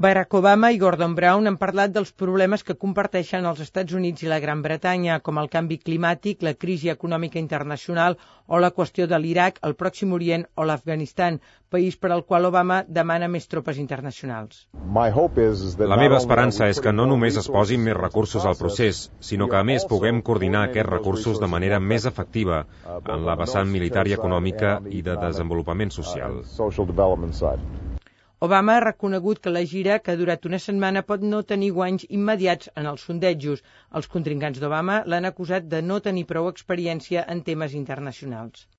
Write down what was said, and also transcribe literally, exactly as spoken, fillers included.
Barack Obama i Gordon Brown han parlat dels problemes que comparteixen els Estats Units i la Gran Bretanya, com el canvi climàtic, la crisi econòmica internacional o la qüestió de l'Iraq, el Pròxim Orient o l'Afganistan, país per al qual Obama demana més tropes internacionals. La meva esperança és que no només es posin més recursos al procés, sinó que a més puguem coordinar aquests recursos de manera més efectiva en la vessant militar i econòmica i de desenvolupament social. Obama ha reconegut que la gira, que ha durat una setmana, pot no tenir guanys immediats en els sondejos. Els contrincants d'Obama l'han acusat de no tenir prou experiència en temes internacionals.